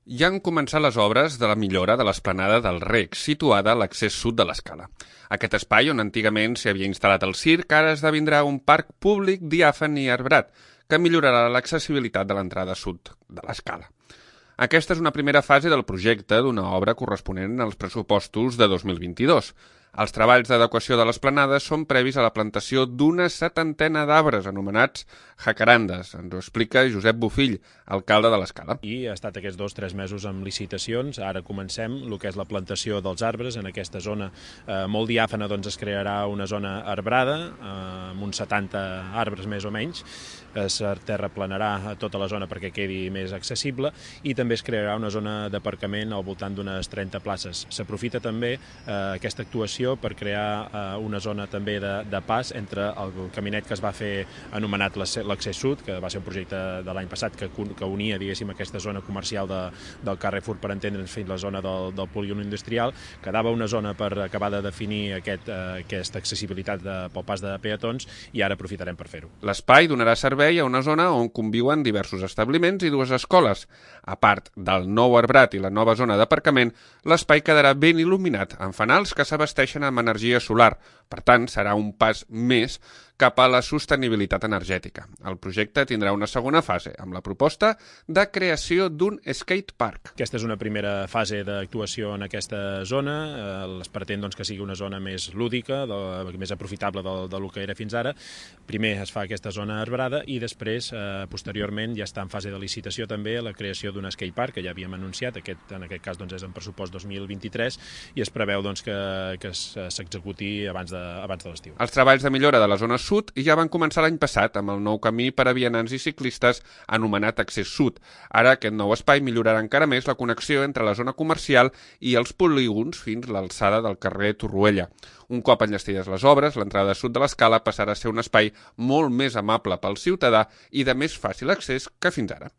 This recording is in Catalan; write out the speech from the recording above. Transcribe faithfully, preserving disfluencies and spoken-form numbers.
Ja han començat les obres de la millora de l'esplanada del Rec, situada a l'accés sud de l'Escala. Aquest espai, on antigament s'hi havia instal·lat el circ, ara esdevindrà un parc públic diàfan i arbrat, que millorarà l'accessibilitat de l'entrada sud de l'Escala. Aquesta és una primera fase del projecte d'una obra corresponent als pressupostos de dos mil vint-i-dos. Els treballs d'adequació de l'esplanada són previs a la plantació d'una setantena d'arbres anomenats jacarandes. Ens ho explica Josep Bofill, alcalde de l'Escala. I ha estat aquests dos o tres mesos amb licitacions. Ara comencem el que és la plantació dels arbres. En aquesta zona eh, molt diàfana doncs, es crearà una zona arbrada, eh, amb uns setanta arbres més o menys. Es terraplanarà tota la zona perquè quedi més accessible i també es crearà una zona d'aparcament al voltant d'unes trenta places. S'aprofita també eh, aquesta actuació per crear eh, una zona també de, de pas entre el caminet que es va fer anomenat l'accés sud, que va ser un projecte de l'any passat que, que unia diguéssim aquesta zona comercial de, del Carrefour, per entendre'ns, fins a la zona del, del polígon industrial. Quedava una zona per acabar de definir aquest, eh, aquesta accessibilitat de, pel pas de peatons i ara aprofitarem per fer-ho. L'espai donarà servei a una zona on conviuen diversos establiments i dues escoles. A part del nou arbrat i la nova zona d'aparcament, l'espai quedarà ben il·luminat amb fanals que s'abasteixen amb energia solar. Per tant, serà un pas més cap a la sostenibilitat energètica. El projecte tindrà una segona fase, amb la proposta de creació d'un skate park. Aquesta és una primera fase d'actuació en aquesta zona. Es pretén doncs, que sigui una zona més lúdica, de, més aprofitable del, del que era fins ara. Primer es fa aquesta zona arbrada i després, eh, posteriorment, ja està en fase de licitació també la creació d'un skate park, que ja havíem anunciat, aquest, en aquest cas doncs, és en pressupost dos mil vint-i-tres, i es preveu doncs, que, que s'executi abans de, abans de l'estiu. Els treballs de millora de la zona sud ja van començar l'any passat amb el nou camí per a vianants i ciclistes anomenat Accés Sud. Ara aquest nou espai millorarà encara més la connexió entre la zona comercial i els polígons fins a l'alçada del carrer Torroella. Un cop enllestides les obres, l'entrada sud de l'Escala passarà a ser un espai molt més amable pel ciutadà i de més fàcil accés que fins ara.